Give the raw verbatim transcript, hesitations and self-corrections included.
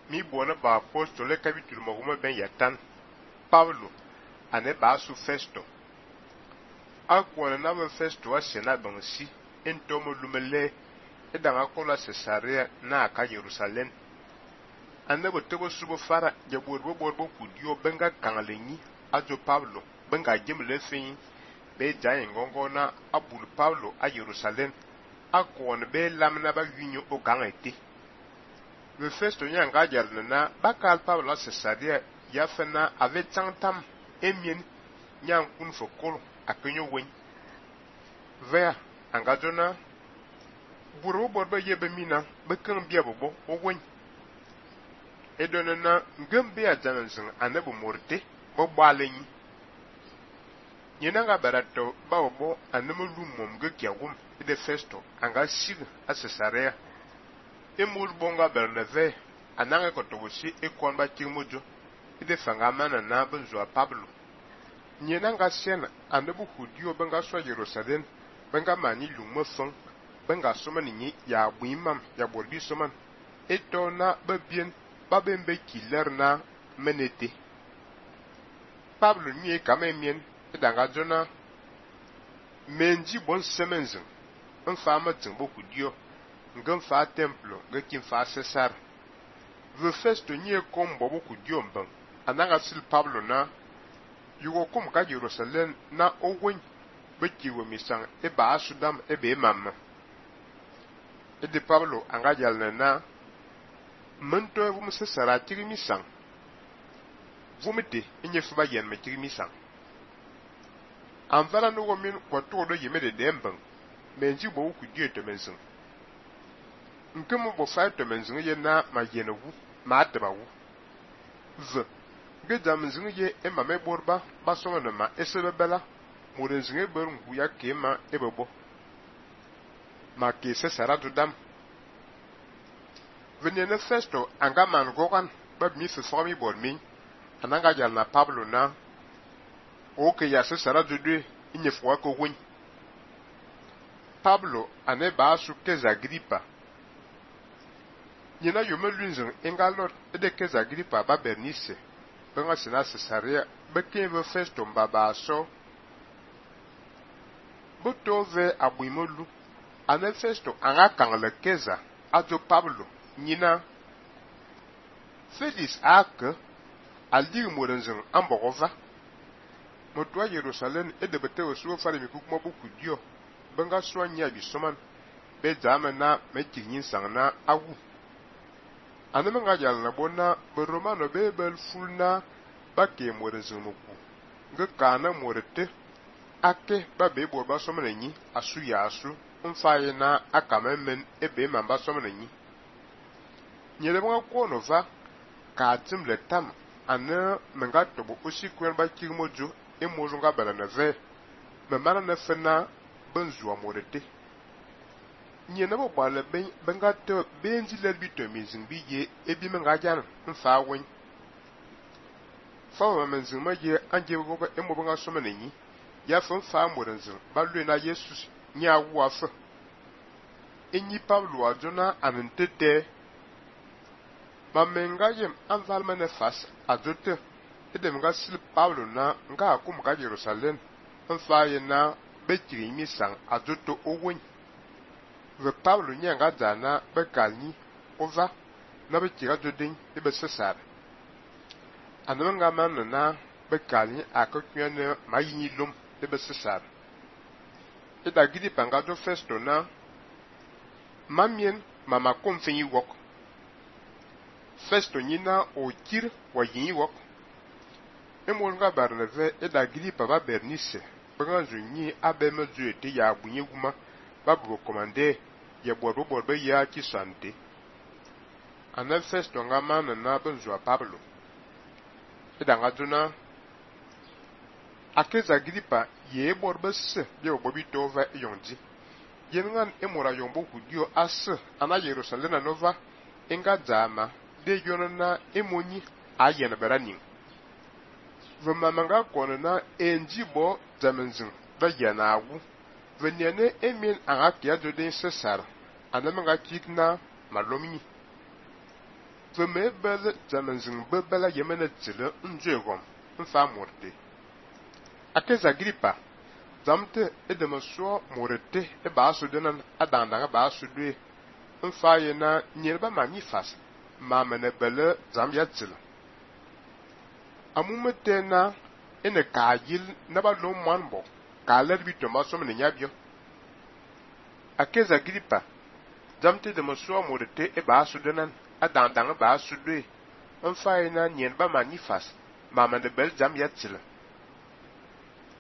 mi bona ba apostole capítulo maguma ben yatan Paulo ane ba su Festo akwana na ba Festo asena bansi entomo lumele edanga kola Cesarea na aka Jerusalem ane botebo subo fara jaborbo borbo kudio benga kangalenyi ajo Paulo benga gemle fin be jaye ngongona abul Paulo a Jerusalem akwana be lamna ba winyo o gangete le Festo nyanga jarna bakal Paulo a Cesarea yafena ave tantam emien nyang kun fokol akenyo wen vea angajona buru borba yebe mina bekan bia bobo o wen edonana ngembe a jananzin anabu morte bo balenyi yenanga barato bawo anamu lumom gekyagum de Festo anga sig a Cesarea emul bonga Bernave ananga kotobusi ekonba kirmojo ide fanga mana na benzo Pablo nyenanga sena anabu hudio benga so Jerusalem benga mani lumo fon benga soma ni ya buimam ya borbi soman etona babien babembe kilerna menete Pablo ni kamemien edanga jona menji bon semenzen un fama timbo hudio ngam fa templo ngakin fa Cesar ve Festo ni kombo boku diomban ananga sil Pablo na yugo kum ka Jerusalem na owen beki wo misan e ba asudam e be mamma e de Pablo anga jalna na mento vum Cesar tiri misan vumite enye fuba yen me tiri misan anvala no wo min kwato do yeme de demban menji bo ku die to mensin nkemu bo fa to mensin ye na ma yenewu ma atabawu v gedam zinge e ma me borba ba so na ma esebebela mo de zinge ber ngu ya kema ebebo ma ke se sara dudam venene Festo anga man gogan ba mi se fomi bor mi ananga jal na Pablo na o ke ya se sara dudu inye fwa ko wen Pablo ane ba su keza Agripa nyina yome lunzin engalot ede keza Agripa ba Bernice benga sina Cesarea bekenve Festo mbaba so botove abuimolu ane Festo anga kangle keza ajo Pablo nyina Felix ak aldir morenzen ambogova motwa Jerusalem ede betewe so fare mi kukuma boku dio benga so nya bi soman be jama na mekinyin sangna awu aneme nga jal na bona be romano be bel fulna bakke morenzen muku nga kana morete ake ba be bo ba somana nyi asu ya asu mfaye na akamemen ebe mamba somana nyi nyele mga kono va ka timle tam ana menga tobo osi kwen ba kirmojo e mojo nga bala na ve me mana na fena benzu amorete nyene bo bala ben benga to benji le bito mizin biye ebi menga jan mfa wen fa wa menzin ma ye anje go ko e mo benga so menyi ya fon fa morenzo ba lu na Jesus nya wu afa enyi Pablo ajona anentete mamenga yem anvalma ne fas ajote edem ga sil Pablo na nga akum ga Jerusalem mfa ye na bekiri mi sang ajoto owen ve Pablo nyanga dana bekalni ova na bekira jodin e be Cesar ananga man na bekalni akokwane mayini lum e be Cesar e da gidi panga do Festo na mamien mama konfenyi wok Festo nyina o kir wa yin wok emol nga Barnave e da gidi papa Bernice banganzu nyi abeme zuete ya bunye guma babu komande ya borbo borbe ya ki sante ana Festo nga mana na benzo Pablo e da ngaduna akeza gripa ye borbe se ye obobi tova yonji yengan emora yombo hudio as ana Jerusalem nova enga jama de yonona emonyi ayena beranin vema manga konona enjibo jamenzin da yana agu venene emin anga kia do den Cesar ana manga kikna malomi ve me bel zamenzing bebela yemene tsile njegom mfa morte akeza Agripa zamte edema so morete e basu denan adanda basu dwe mfa yena nyelba manifas ma mene bele zam ya tsile amumete na ene kayil na ba lo manbo ka lerbi to masom ne nyabio akeza Agripa zamte de so morete e basu denan adanda basu dwe mfa yena nyelba manifas ma mene bel zam ya tsile